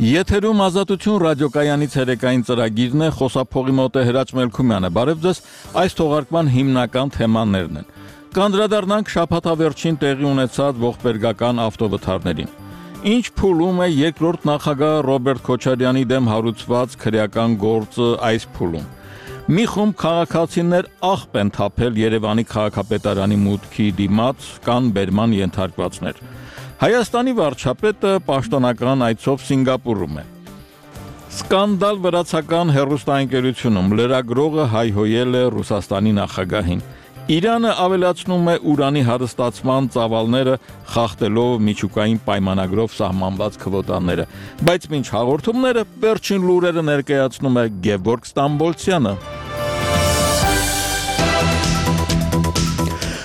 Եթերում Ազատություն ռադիոկայանի ցերեկային ծրագիրն է, խոսափողի մոտ է Հրաչ Մելքումյանը։ Բարև ձեզ, այս թողարկման հիմնական թեմաներն են։ Կանդրադառնանք շաբաթավերջին տեղի ունեցած ողբերգական ավտովթարներին։ Ինչ փուլում է երկրորդ նախագահ Ռոբերտ Քոչարյանի դեմ հարուցված քրեական գործը այս փուլում։ Մի խումբ քաղաքացիներ աղբ են թափել Երևանի քաղաքապետարանի մուտքի դիմաց, կան բերման ենթարկվածներ։ Հայաստանի վարչապետը պաշտոնական այցով Սինգապուրում է։ Սկանդալ վրացական հեռուստաընկերությունում լրագրողը հայհոյել է Ռուսաստանի նախագահին։ Իրանը ավելացնում է ուրանի հարստացման ծավալները, խախտելով միջուկային պայմանագրով սահմանված քվոտաները։ Բայց մինչ հաղորդումները վերջին լուրերը ներկայացնում է Գևորգ Ստամբոլցյանը։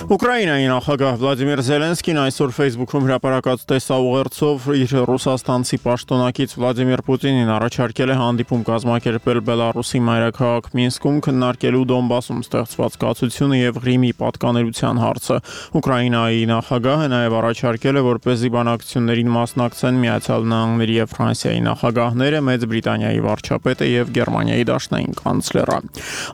Ուկրաինայի նախագահ Վլադիմիր Զելենսկին այսօր Facebook-ում հրապարակած տեսաուղերձով իր ռուսաստանցի պաշտոնակից Վլադիմիր Պուտինին առաջարկել է հանդիպում կազմակերպել Բելարուսի մայրաքաղաք Մինսկում քննարկելու Դոնբասում ստեղծված կացությունը եւ Ղրիմի պատկանելության հարցը։ Ուկրաինայի նախագահը նաեւ առաջարկել է, որպեսզի բանակցություններին մասնակցեն Միացյալ Նահանգների եւ Ֆրանսիայի նախագահները, Մեծ Բրիտանիայի վարչապետը եւ Գերմանիայի դաշնային կանցլերը։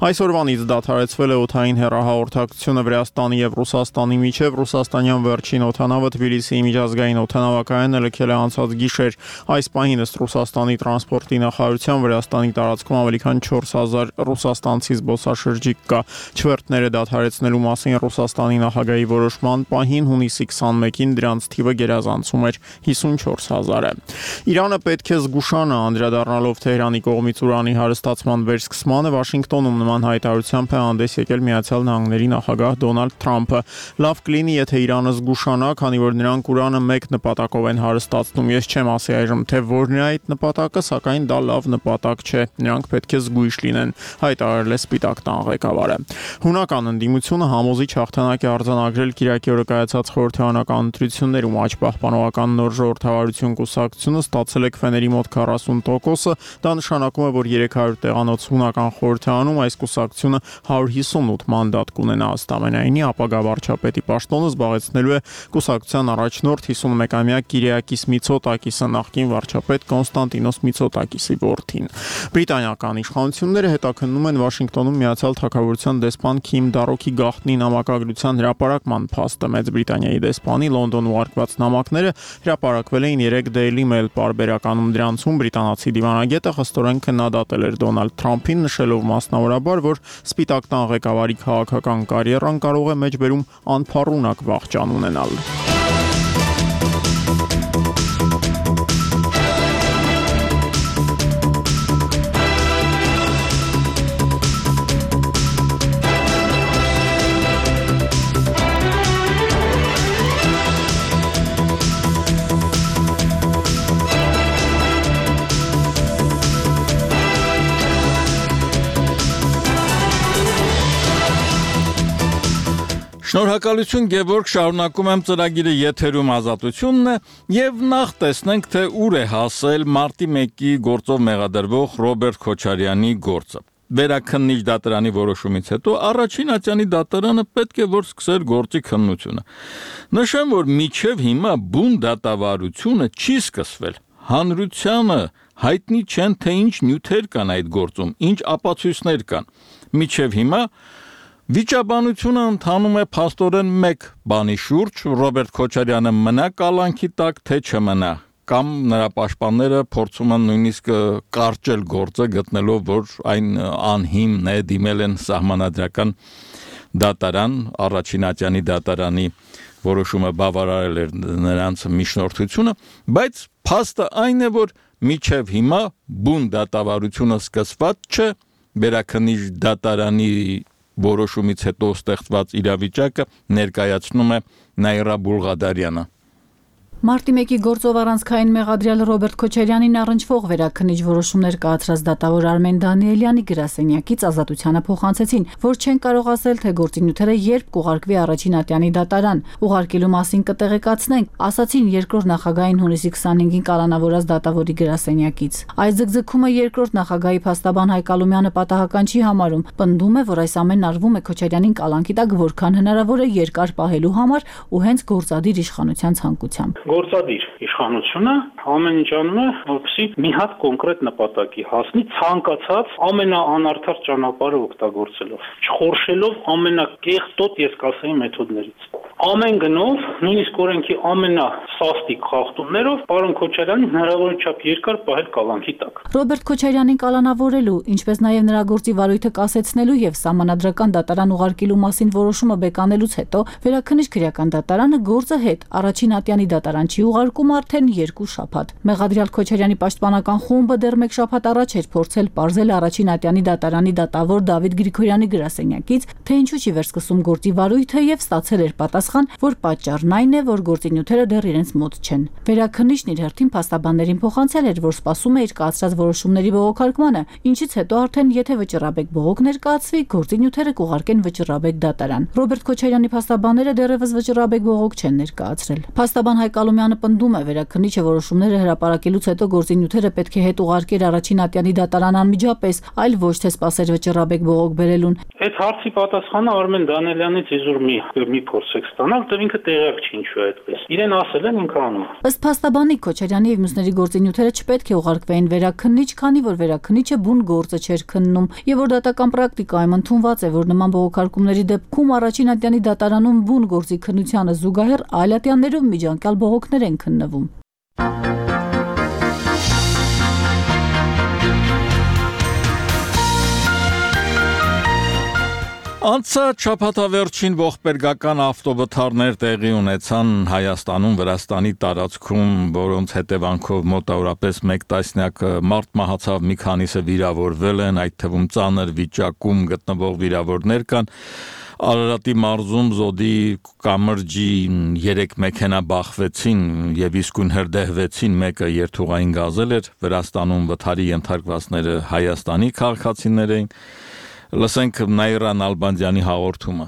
Այսօրվանից դադարեցվել է օդային հեռահաղորդակցությունը Վրաստանի եւ Ռուսաստանի միջև Ռուսաստանյան վերջին օդանավը Թբիլիսիի միջազգային օդանավակայանը լքել է անցած գիշեր։ Այս պահին ըստ Ռուսաստանի տրանսպորտի նախարարության Վրաստանի տարածքում ավելի քան 4000 ռուսաստանցի զբոսաշրջիկ կա։ Չվերթները դադարեցնելու մասին Ռուսաստանի նախագահի որոշման պահին հունիսի 21-ին դրանց թիվը գերազանցում էր 54000-ը։ Իրանը պետք է զգուշանա անդրադառնալով Թեհրանի կողմից ուրանի հարստացման վերսկսմանը, Վաշինգտոնում նման հայտարարությամբ է հանդես եկել Միացյալ Նահանգների նախագահ Դոնալդ Թրամփը։ Լավ կլինի, եթե Իրանը զգուշանա, քանի որ նրանք ուրանը մեկ նպատակով են հարստացնում։ Ես չեմ ասի այժմ, թե որն է այդ նպատակը, սակայն դա լավ նպատակ չէ։ Նրանք պետք է զգույշ լինեն, հայտարարել է Սպիտակ տան ղեկավարը։ Հունական ընդդիմությունը համոզիչ հաղթանակ է արձանագրել Կիրակի օրը կայացած խորհրդարանական ընտրություններում։ Աջ պահպանողական նոր ժողովրդավարություն կուսակցությունը ստացել է քվեների մոտ 40%-ը, դա նշանակում է, որ 300 տեղանոց հունական խորհրդարանում այս կուսակցությունը 158 մանդատ կունենա ըստամենայնի, ապագա վարչապետի պաշտոնը զբաղեցնելու է կուսակցության առաջնորդ 51-ամյա Կիրիակիս Միցոտակիսը, նախկին վարչապետ Կոնստանտինոս Միցոտակիսի որդին։ Բրիտանիական իշխանությունները հետաքննում են Վաշինգտոնում Միացյալ Թագավորության դեսպան Քիմ Դարոքի գաղտնի նամակագրության հրապարակման փաստը։ Մեծ Բրիտանիայի դեսպանի Լոնդոն ուղարկված նամակները հրապարակվել էին 3 Daily Mail պարբերականում։ Դրանցում բրիտանացի դիվանագետը խստորեն քննադատել էր Դոնալդ Թրամփին, նշելով մասնավորաբար, որ Սպիտակ տան ղեկավարի քաղաքական կարիերան կարող է մեջբերում անփառունակ վախճան ունենալ։ Շնորհակալություն Գևորգ, շարունակում եմ ծրագիրը եթերում Ազատությունն է եւ նախ տեսնենք, թե ուր է հասել մարտի 1-ի գործով մեղադրվող Ռոբերտ Քոչարյանի գործը։ Վերաքննիչ դատարանի որոշումից հետո առաջին ատյանի դատարանը պետք է որ սկսեր գործի քննությունը։ Նշեմ, որ մինչև հիմա բուն դատավարությունը չի սկսվել։ Հանրությանը հայտնի չեն, թե ինչ նյութեր կան այդ գործում, ինչ ապացույցներ կան։ Մինչև հիմա վիճաբանությունը ընթանում է փաստորեն մեկ բանի շուրջ՝ Ռոբերտ Քոչարյանը մնա կալանքի տակ, թե չմնա, կամ նրա պաշտպանները փորձում են նույնիսկ կարճել գործը, գտնելով, որ այն անհիմն է, դիմել են սահմանադրական դատարան, առաջին ատյանի դատարանի որոշումը բավարարել էր նրանց միջնորդությունը, բայց փաստը այն է, որ մինչև հիմա բուն դատավարությունը սկսված չէ, վերաքննիչ դատարանի որոշումից հետո ստեղծված իրավիճակը ներկայացնում է Նաիրա Բուլղադարյանը։ Մարտի 1-ի գործով առանցքային մեղադրյալ Ռոբերտ Քոչարյանին առնչվող վերաքննիչ որոշումներ կայացրած դատավոր Արմեն Դանիելյանի գրասենյակից Ազատությանը փոխանցեցին, որ չեն կարող ասել, թե գործի նյութերը երբ կուղարկվի առաջին ատյանի դատարան։ Ուղարկելու մասին կտեղեկացնենք, ասացին երկրորդ նախագահային հունիսի 25-ին կալանավորած դատավորի գրասենյակից։ Այս ձգձգումը երկրորդ նախագահի փաստաբան Հայկ Ալումյանը պատահական չի համարում, պնդում է, որ այս ամենն արվում է Քոչարյանին կալանքի տակ որքան հնարավոր է երկար պահելու համար ու հենց գործադիր իշխանության ցանկությամբ։ Գործադիր իշխանությունը ամեն ինչ անում է, որպեսզի մի հատ կոնկրետ նպատակի հասնի, ցանկացած ամենաանարդար ճանապարհը օգտագործելով, չխորշելով ամենակեղտոտ ես կասեի մեթոդներից։ Ամեն գնով, նույնիսկ օրենքի ամենասաստիկ խախտումներով պարոն Քոչարյանին հնարավորին չափ երկար պահել կալանքի տակ։ Ռոբերտ Քոչարյանին կալանավորելու, ինչպես նաև նրա գործի վարույթը կասեցնելու եւ սահմանադրական դատարան ուղարկելու մասին որոշումը բեկանելուց հետո Վերաքննիչ քրեական դատարանը գործը հետ առաջին ատյանի դատարան չի ուղարկում արդեն 2 շաբաթ։ Մեղադրյալ Քոչարյանի պաշտպանական խումբը դեռ 1 շաբաթ առաջ էր փորձել պարզել առաջին ատյանի դատարանի դատավոր Դավիթ Գրիգորյանի գրասենյակից, թե ինչու չի վերսկսում գործի վարույթը եւ ստացել էր պատասխան, որ պատճառն այն է, որ գործի նյութերը դեռ իրենց մոտ չեն։ Վերաքննիչն իր հերթին փաստաբաններին փոխանցել էր, որ սպասում է իր կայացրած որոշումների բողոքարկմանը, ինչից հետո արդեն եթե վճռաբեկ բողոք ներկայացվի, գործի նյութերը կուղարկեն վճռաբեկ դատարան։ Ռոբերտ Քոչարյանի փաստաբանները դեռևս վճռաբեկ բողոք չեն ներկայացրել։ Փաստաբան Հայկ Ալոմյանը պնդում է, Վերաքննիչը որոշումները հրապարակելուց հետո գործի նյութերը պետք է հետ ուղարկեր առաջին ատյանի դատարան անմիջապես, այլ ոչ թե սպասեր վճռաբեկ բողոք բերելուն։ Այդ հարցի պատասխանը Արմեն Դանելյանից իզուր մի փորձեք ստանալ, դեռ ինքը տեղյակ չի ինչու է այդպես։ Իրեն ասել են ինքը անում։ Ըստ փաստաբանի Քոչարյանի եւ մյուսների գործի նյութերը չպետք է ուղարկվեին Վերաքննիչ, քանի որ Վերաքննիչը բուն գործը չէր քննում եւ որ դատական պրակտիկայում ընդունված է, որ նման բողոքարկումների դեպքում առաջին ատյանի դատարանում բուն գործի քննությանը զուգահեռ այլ ատյաններով միջանկյալ բողոքներ են քննվում։ Անցած շաբաթավերջին ողբերգական ավտովթարներ տեղի ունեցան Հայաստանում, Վրաստանի տարածքում, որոնց հետևանքով մոտավորապես 1 տասնյակ մարդ մահացավ, մի քանիսը վիրավորվել են, այդ թվում ծանր վիճակում գտնվող վիրավորներ կան։ Արարատի մարզում Զոդի կամրջի 3 մեքենա բախվեցին եւ իսկույն հրդեհվեցին, մեկը երթուղային գազել էր, Վրաստանում վթարի ենթարկվածները Հայաստանի քաղաքացիներ էին։ Լսենք Նայրան Ալբանդյանի հաղորդումը։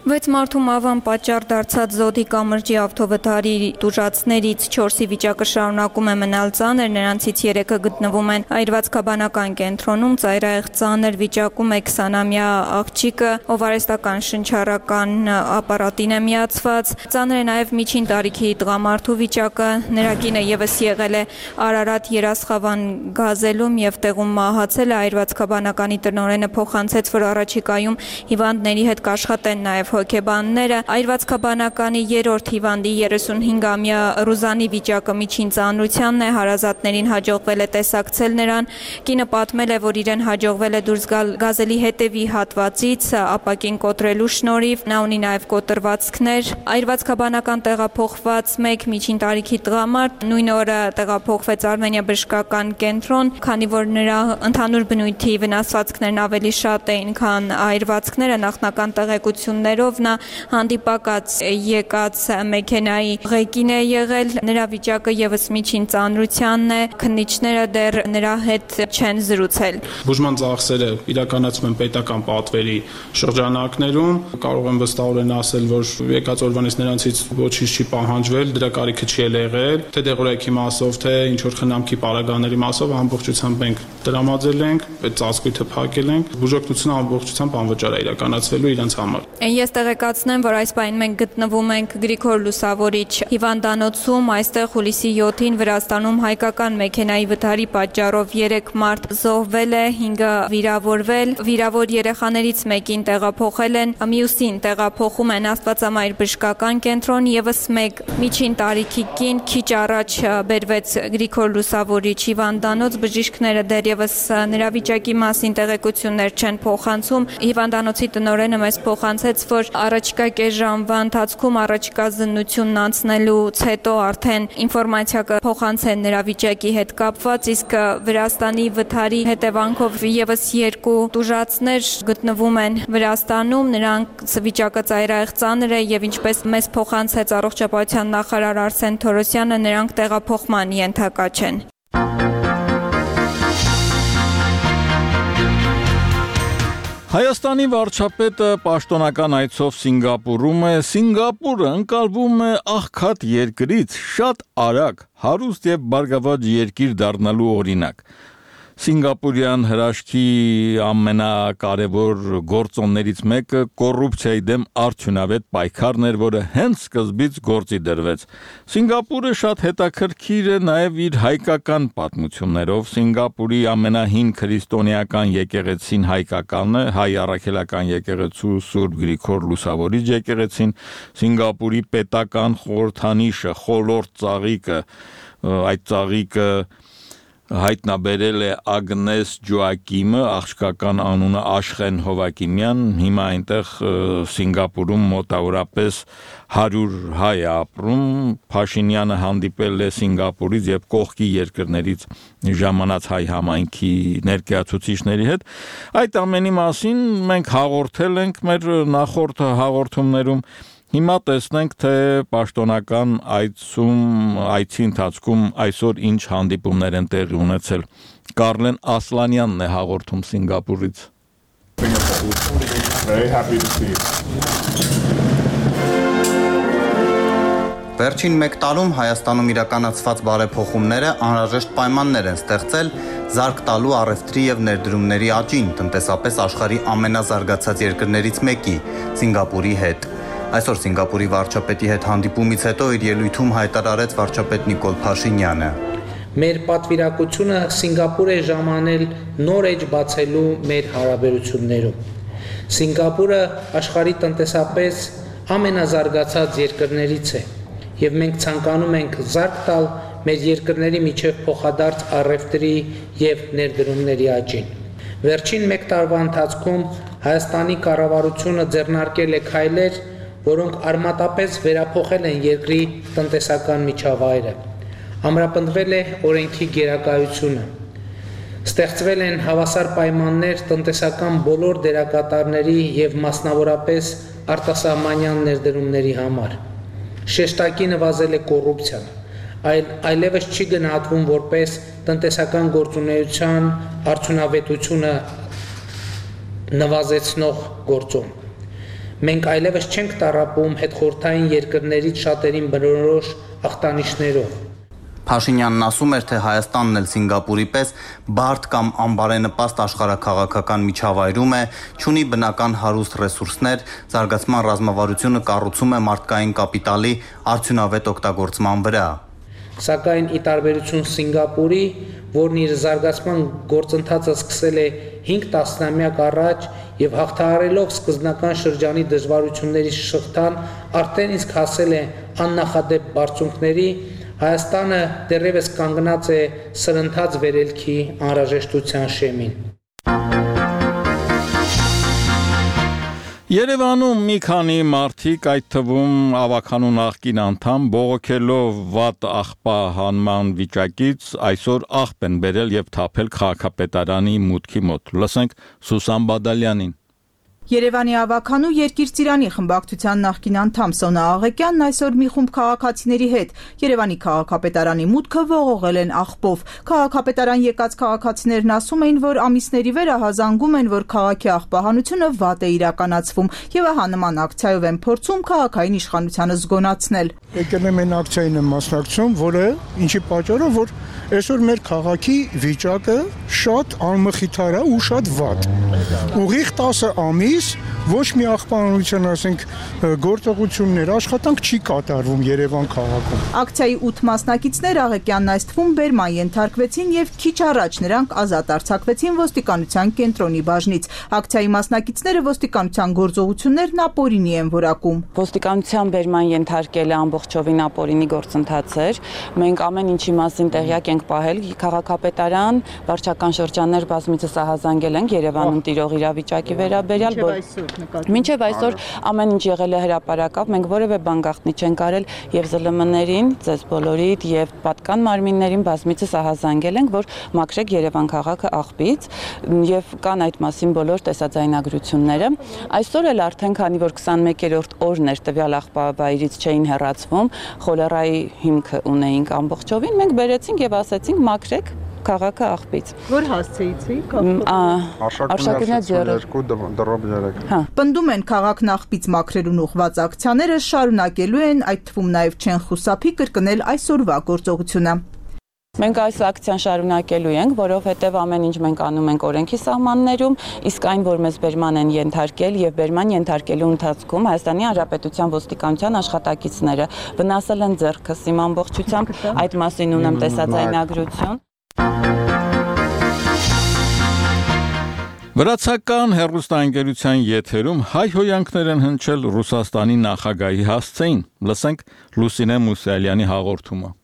6 մարդու մահվան պատճառ դարձած Զոդի կամրջի ավտովթարի տուժածներից 4-ի վիճակը շարունակում է մնալ ծանր, նրանցից 3-ը գտնվում են այրվածքաբանական կենտրոնում, ծայրահեղ ծանր վիճակում է 20-ամյա աղջիկը, ով արհեստական շնչառական ապարատին է միացված, ծանր է նաև միջին տարիքի տղամարդու վիճակը, նրա կինը ևս եղել է Արարատ երասխավան գազելում եւ տեղում մահացել է, այրվածքաբանականի տնօրենը փոխանցեց, որ առաջիկայում հիվանդների հետ կաշխատեն նաև հոգեբանները, այրվածքաբանականի 3-րդ հիվանդի 35-ամյա Ռուզանի վիճակը միջին ծանրությանն է, հարազատներին հաջողվել է տեսակցել նրան, կինը պատմել է, որ իրեն հաջողվել է դուրս գալ գազելի հետևի հատվածից, ապակին կոտրելու շնորհիվ, նա ունի նաև կոտրվածքներ, այրվածքաբանական տեղափոխված 1 միջին տարիքի տղամարդ նույն օրը տեղափոխվեց Արմենիա բժշկական կենտրոն, քանի որ նրա ընդհանուր բնույթի վնասվածքներն ավելի շատ էին, քան այրվածքները, նախնական տեղեկություններ նա հանդիպակաց եկած մեքենայի ղեկին է եղել, նրա վիճակը ևս միջին ծանրությանն է, քննիչները դեռ նրա հետ չեն զրուցել։ Բուժման ծախսերը իրականացում են պետական պատվերի շրջանակներում, կարող եմ վստահորեն ասել, որ եկած օրվանից նրանցից ոչինչ չի պահանջվել, դրա կարիքը չի եղել, թե դեղորայքի մասով, թե ինչ որ խնամքի պարագաների մասով ամբողջությամբ մենք տրամադրել ենք, այդ ծածկույթը փակել ենք, բուժօգնությունը ամբողջությամբ անվճար է իրականացվելու իրենց համար։ Ես տեղեկացնեմ, որ այս պահին մենք գտնվում ենք Գրիգոր Լուսավորիչ հիվանդանոցում, այստեղ հուլիսի 7-ին Վրաստանում հայկական մեքենայի վթարի պատճառով 3 մարդ զոհվել է, 5-ը վիրավորվել, վիրավոր երեխաներից մեկին տեղափոխել են, մյուսին տեղափոխում են Աստվածամայր բժշկական կենտրոն, ևս 1 միջին տարիքի կին քիչ առաջ բերվեց Գրիգոր Լուսավորիչ հիվանդանոց, բժիշկները դեռևս նրա վիճակի մասին տեղեկություններ չեն փոխանցում, հիվանդանոցի տնօրենը մեզ փոխանցեց, որ առաջիկա կես ժամվա ընթացքում առաջիկա զննությունն անցնելուց հետո արդեն ինֆորմացիա կփոխանցեն նրա վիճակի հետ կապված, իսկ Վրաստանի վթարի հետևանքով ևս 2 տուժածներ գտնվում են Վրաստանում, նրանց վիճակը ծայրահեղ ծանր է եւ ինչպես մեզ փոխանցեց առողջապահության նախարար Արսեն Թորոսյանը, նրանք տեղափոխման ենթակա չեն։ Հայաստանի վարչապետը պաշտոնական այցով Սինգապուրում է, Սինգապուրը ընկալվում է աղքատ երկրից շատ արագ հարուստ եւ բարգավաճ երկիր դառնալու օրինակ։ Սինգապուրյան հրաշքի ամենակարևոր գործոններից մեկը կոռուպցիայի դեմ արդյունավետ պայքարն էր, որը հենց սկզբից գործի դրվեց։ Սինգապուրը շատ հետաքրքիր է նաև իր հայկական պատմություններով։ Սինգապուրի ամենահին քրիստոնեական եկեղեցին հայկականն է, հայ առաքելական եկեղեցու Սուրբ Գրիգոր Լուսավորիչ եկեղեցին, Սինգապուրի պետական խորհրդանիշը, խոլորտ ծաղիկը, այդ ծաղիկը հայտնաբերել է Ագնես Ջոակիմը, աղջկական անունը Աշխեն Հովակիմյան, հիմա այնտեղ Սինգապուրում մոտավորապես 100 հայ է ապրում, Փաշինյանը հանդիպել է Սինգապուրից եւ կողքի երկրներից ժամանած հայ համայնքի ներկայացուցիչների հետ։ Այդ ամենի մասին մենք հաղորդել ենք մեր նախորդ հաղորդումներում։ Հիմա տեսնենք, թե պաշտոնական այցի ընթացքում այսօր ինչ հանդիպումներ են տեղի ունեցել։ Կարլեն Ասլանյանն է հաղորդում Սինգապուրից։ Վերջին մեկ տարում Հայաստանում իրականացված բարեփոխումները անհրաժեշտ պայմաններ են ստեղծել զարգ տալու առևտրի եւ ներդրումների աճին տնտեսապես աշխարհի ամենազարգացած երկրներից մեկի՝ Սինգապուրի հետ։ Այսօր Սինգապուրի վարչապետի հետ հանդիպումից հետո իր ելույթում հայտարարեց վարչապետ Նիկոլ Փաշինյանը։ Մեր պատվիրակությունը Սինգապուր է ժամանել նոր էջ բացելու մեր հարաբերություններում։ Սինգապուրը աշխարհի տնտեսապես ամենազարգացած երկրներից է եւ մենք ցանկանում ենք զարգ տալ մեր երկրների միջև փոխադարձ առևտրի եւ ներդրումների աճին։ Վերջին մեկ տարվա ընթացքում Հայաստանի կառավարությունը ձեռնարկել է քայլեր, որոնք արմատապես վերափոխել են երկրի տնտեսական միջավայրը։ Ամրապնդվել է օրենքի գերակայությունը։ Ստեղծվել են հավասար պայմաններ տնտեսական բոլոր դերակատարների եւ մասնավորապես արտասահմանյան ներդրումների համար։ Շեշտակի նվազել է կոռուպցիան, այլևս չի գնահատվում որպես տնտեսական գործունեության արդյունավետությունը նվազեցնող գործոն։ Մենք այլևս չենք տառապում հետխորհրդային երկրներից շատերին բնորոշ ախտանիշներով։ Փաշինյանն ասում էր, թե Հայաստանն էլ Սինգապուրի պես բարդ կամ անբարենպաստ աշխարհաքաղաքական միջավայրում է, չունի բնական հարուստ ռեսուրսներ, զարգացման ռազմավարությունը կառուցում է մարդկային կապիտալի արդյունավետ օգտագործման վրա։ Սակայն ի տարբերություն Սինգապուրի, որն իր զարգացման գործընթացը սկսել է 5 տասնամյակ առաջ եւ հաղթահարելով սկզբնական շրջանի դժվարությունների շղթան, արդեն իսկ հասել է աննախադեպ բարձունքների, Հայաստանը դեռևս կանգնած է սրընթաց վերելքի անհրաժեշտության շեմին։ Երևանում մի քանի մարդիկ, այդ թվում ավականու նախկին անդամ, բողոքելով վատ աղբահանման վիճակից, այսօր աղբ են բերել եւ թափել քաղաքապետարանի մուտքի մոտ։ Լսենք Սուսան Բադալյանին։ Երևանի ավականու Երկիր Ծիրանի խմբակցության նախկին անդամ Սոնա Աղեկյանն այսօր մի խումբ քաղաքացիների հետ Երևանի քաղաքապետարանի մուտքը ողողել են աղբով։ Քաղաքապետարան եկած քաղաքացիներն ասում էին, որ ամիսների վեր ահազանգում են, որ քաղաքի աղբահանությունը վատ է իրականացվում եւ ահա նման ակցիայով են փորձում քաղաքային իշխանությանը զգոնացնել։ Եկել եմ այն ակցիային եմ մասնակցում, որը ինչի պատճառով, որ այսօր մեր քաղաքի վիճակը շատ անմխիթար է ու շատ վատ։ Ուղիղ 10 ամիս ոչ մի աղբահանության, ասենք, գործողություններ, աշխատանք չի կատարվում Երևան քաղաքում։ Ակցիայի 8 մասնակիցներ Աղեկյանն այս թվում բերման ենթարկվեցին եւ քիչ առաջ նրանք ազատ արձակվեցին ոստիկանության կենտրոնի բաժնից։ Ակցիայի մասնակիցները ոստիկանության գործողություններն ապօրինի են որակում։ Ոստիկանության բերման ենթարկելը ամբողջովին ապօրինի գործընթաց էր։ Մենք ամեն ինչի մասին տեղյակ ենք պահել, քաղաքապետարան, վարչական շրջաններ բազմիցս ահազանգել ենք Երևանում տիրող իրավիճակի վերաբերյալ, մինչև այսօր ամեն ինչ եղել է հրապարակավ, մենք որևէ բան գաղտնի չենք արել եւ ԶԼՄ-ներին, ձեզ բոլորիդ եւ պատկան մարմիններին բազմիցս ահազանգել ենք, որ մաքրեք Երևան քաղաքը աղբից եւ կան այդ մասին բոլոր տեսաձայնագրությունները։ Այսօր էլ արդեն քանի որ 21-րդ օրն էր տվյալ աղբավայրից չէին հեռացվում, խոլերայի հիմքը ունեինք ամբողջովին, մենք բերեցինք եւ ասեցինք մաքրեք քաղաքը աղբից։ Որ հասցեիցիք Արշակունյաց 2 Պնդում են քաղաքն աղբից մաքրելուն ուղղված ակցիաները շարունակելու են, այդ թվում նաև չեն խուսափի կրկնել այսօրվա գործողությունը։ Մենք այս ակցիան շարունակելու ենք, որովհետև ամեն ինչ մենք անում ենք օրենքի սահմաններում, իսկ այն, որ մեզ բերման են ենթարկել եւ բերման ենթարկելու ընթացքում Հայաստանի Հանրապետության ոստիկանության աշխատակիցները վնասել են ձեռքս իմ ամբողջությամբ, այդ մասին ունեմ տեսաձայնագրություն։ Վրացական հեռուստաընկերության եթերում հայ հոյանքներ են հնչել Ռուսաստանի նախագահի հասցեին։ Լսենք Լուսինե Մուսալյանի հաղորդումը։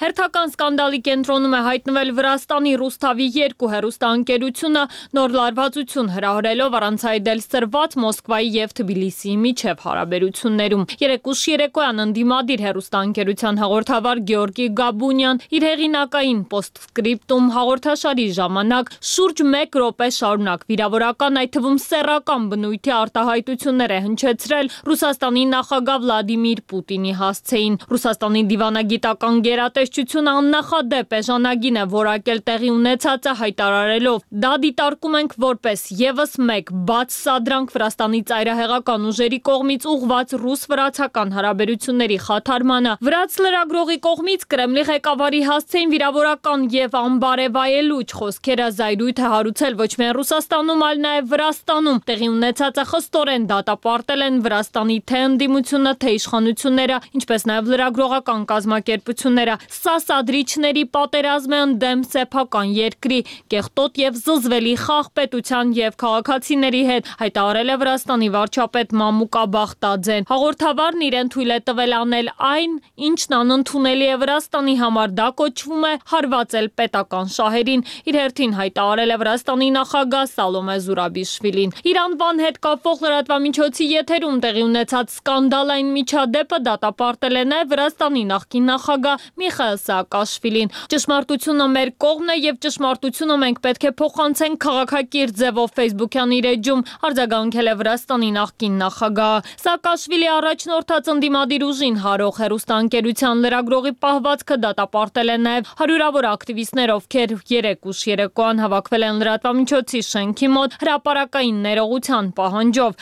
Հերթական սկանդալի կենտրոնում է հայտնվել Վրաստանի Ռուսթավի 2 հեռուստաընկերությունը նոր լարվածություն հրահրելով առանց այդել սրված Մոսկվայի եւ Թբիլիսիի միջև հարաբերություններում։ Երեկուշ երեկոյան ընդդիմադիր հեռուստաընկերության հաղորդավար Գեորգի Գաբունյան իր հեղինակային պոստսկրիպտում հաղորդաշարի ժամանակ շուրջ 1 րոպե շարունակ վիրավորական, այդ թվում սեռական բնույթի արտահայտություններ է հնչեցրել Ռուսաստանի նախագահ Վլադիմիր Պուտինի հասցեին։ Ռուսաստանի դիվանագիտական գերատեսչությունը աննախադեպ էժանագին է որակել տեղի ունեցածը հայտարարելով. դա դիտարկում ենք որպես եւս մեկ բաց սադրանք Վրաստանի ծայրահեղական ուժերի կողմից ուղղված ռուս-վրացական հարաբերությունների խաթարմանը։ Վրաց լրագրողի կողմից Կրեմլի ղեկավարի հասցեին վիրավորական եւ անբարեվայելուչ խոսքերը զայրույթ է հարուցել ոչ միայն Ռուսաստանում, այլ նաեւ Վրաստանում։ Տեղի ունեցածը խստորեն դատապարտել են Վրաստանի թե ընդդիմությունը, թե իշխանությունները, ինչպես նաեւ լրագրողական կազմակերպությունները։ Սա սադրիչների պատերազմ է ընդդեմ սեփական երկրի, կեղտոտ եւ զզվելի խաղ պետության եւ քաղաքացիների հետ, հայտարարել է Վրաստանի վարչապետ Մամուկա Բախտաձեն։ Հաղորդավարն իրեն թույլ է տվել անել այն, ինչն անընդունելի է Վրաստանի համար, դա կոչվում է հարվածել պետական շահերին։ Իր հերթին հայտարարել է Վրաստանի նախագահ Սալոմե Զուրաբիշվիլին։ Իր անվան հետ կապող լրատվամիջոցի եթերում տեղի ունեցած սկանդալային միջադեպը դատապարտել է նաեւ Վրաստանի նախկին նախագահ Միխայել Սաակաշվիլին։ Ճշմարտությունը մեր կողմն է եւ ճշմարտությունը մենք պետք է փոխանցենք քաղաքակիրթ ձևով Facebook-յան իր էջում արձագանքել է Վրաստանի նախկին նախագահը։ Սաակաշվիլի առաջնորդած ընդդիմադիր ուժին հարող հեռուստաընկերության լրագրողի պահվածքը դատապարտել է նաեւ հարյուրավոր ակտիվիստներ, ովքեր երեկուշ երեկոյան հավաքվել են լրատվամիջոցի շենքի մոտ հրապարակային ներողության պահանջով։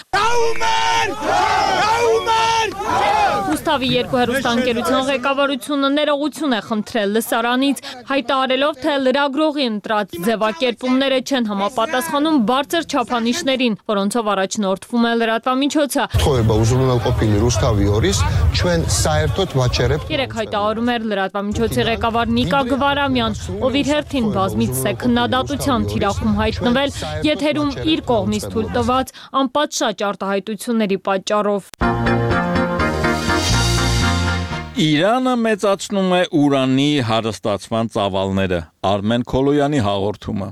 Ռուսթավի 2 հեռուստաընկերության ղեկավարությունը ներողություն է խնդրել լսարանից, հայտարարելով, թե լրագրողի ընտրած ձևակերպումները չեն համապատասխանում բարձր չափանիշներին, որոնցով առաջնորդվում է լրատվամիջոցը։ Երեք հայտարարում էր լրատվամիջոցի ղեկավար Նիկա Գվարամյան, ով իր հերթին բազմիցս է քննադատության թիրախում հայտնվել եթերում իր կողմից թույլ տված անպատշաճ արտահայտությունների պատճառով։ Իրանը մեծացնում է ուրանի հարստացման ծավալները։ Արմեն Քոլոյանի հաղորդումը։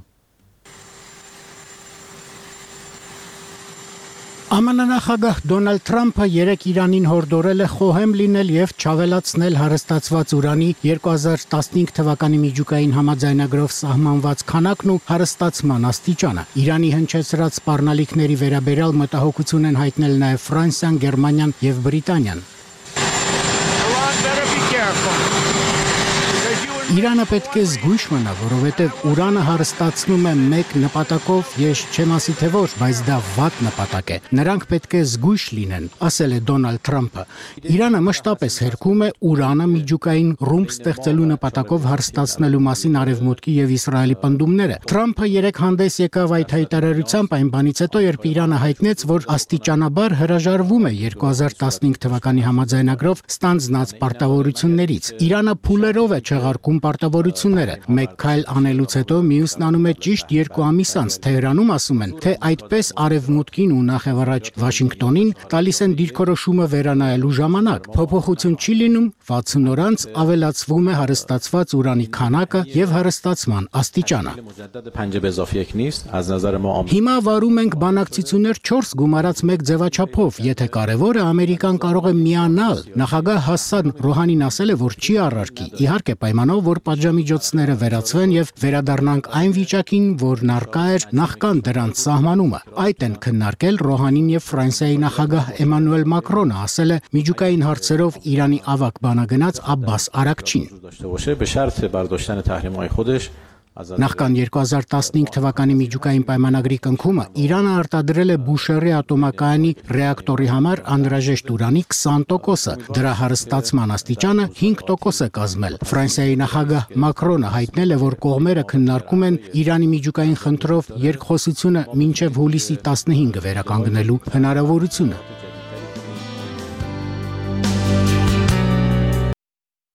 ԱՄՆ նախագահ Դոնալդ Թրամփը երեկ Իրանին հորդորել է խոհեմ լինել եւ չավելացնել հարստացված ուրանի 2015 թվականի միջուկային համաձայնագրով սահմանված քանակն ու հարստացման աստիճանը։ Իրանի հնչեցրած սպառնալիքների վերաբերյալ մտահոգություն են հայտնել նաեւ Ֆրանսիան, Գերմանիան եւ Բրիտանիան։ Իրանը պետք է զգույշ մնա, որովհետև ուրանը հարստացնում է մեկ նպատակով, ես չեմ ասի թե ոչ, բայց դա վատ նպատակ է։ Նրանք պետք է զգույշ լինեն, ասել է Դոնալդ Թրամփը։ Իրանը մշտապես հերքում է ուրանը միջուկային ռումբ ստեղծելու նպատակով հարստացնելու մասին Արևմուտքի եւ Իսրայելի պնդումները։ Թրամփը երեք հանդես եկավ այդ հայտարարությամբ այն բանից հետո, երբ Իրանը հայտնեց, որ աստիճանաբար հրաժարվում է 2015 թվականի համաձայնագրով ստանձնած պարտավորություններից։ Իրանը փուլերով է չեղարկում պարտավորությունները։ Մեկ քայլ անելուց հետո մյուսն անում է ճիշտ 2 ամիս անց։ Թեհրանում ասում են, թե այդպես Արևմուտքին ու նախևառաջ Վաշինգտոնին տալիս են դիրքորոշումը վերանայելու ժամանակ։ Փոփոխություն չի լինում, 60 օր անց ավելացվում է հարստացված ուրանի քանակը եւ հարստացման աստիճանը։ Հիմա վարում ենք բանակցություններ 4 գումարած 1 ձևաչափով, եթե կարևորը Ամերիկան կարող է միանալ։ Նախագահ Հասան Ռոհանին ասել է, որ չի առարկի։ Իհարկե պայմանով, որ պատժամիջոցները վերացվեն եւ վերադառնանք այն վիճակին, որն առկա էր նախքան դրանց սահմանումը։ Այդ են քննարկել Ռոհանին եւ Ֆրանսիայի նախագահ Էմանուել Մակրոնը, ասել է միջուկային հարցերով Իրանի ավագ բանագնաց Աբբաս Արաքչին։ Նախքան 2015 թվականի միջուկային պայմանագրի կնքումը Իրանը արտադրել է Բուշերի ատոմակայանի ռեակտորի համար անհրաժեշտ ուրանի 20%-ը, դրա հարստացման աստիճանը 5% է կազմել։ Ֆրանսիայի նախագահ Մակրոնը հայտնել է, որ կողմերը քննարկում են Իրանի միջուկային խնդրով երկխոսությունը մինչև հուլիսի 15-ը վերականգնելու հնարավորությունը։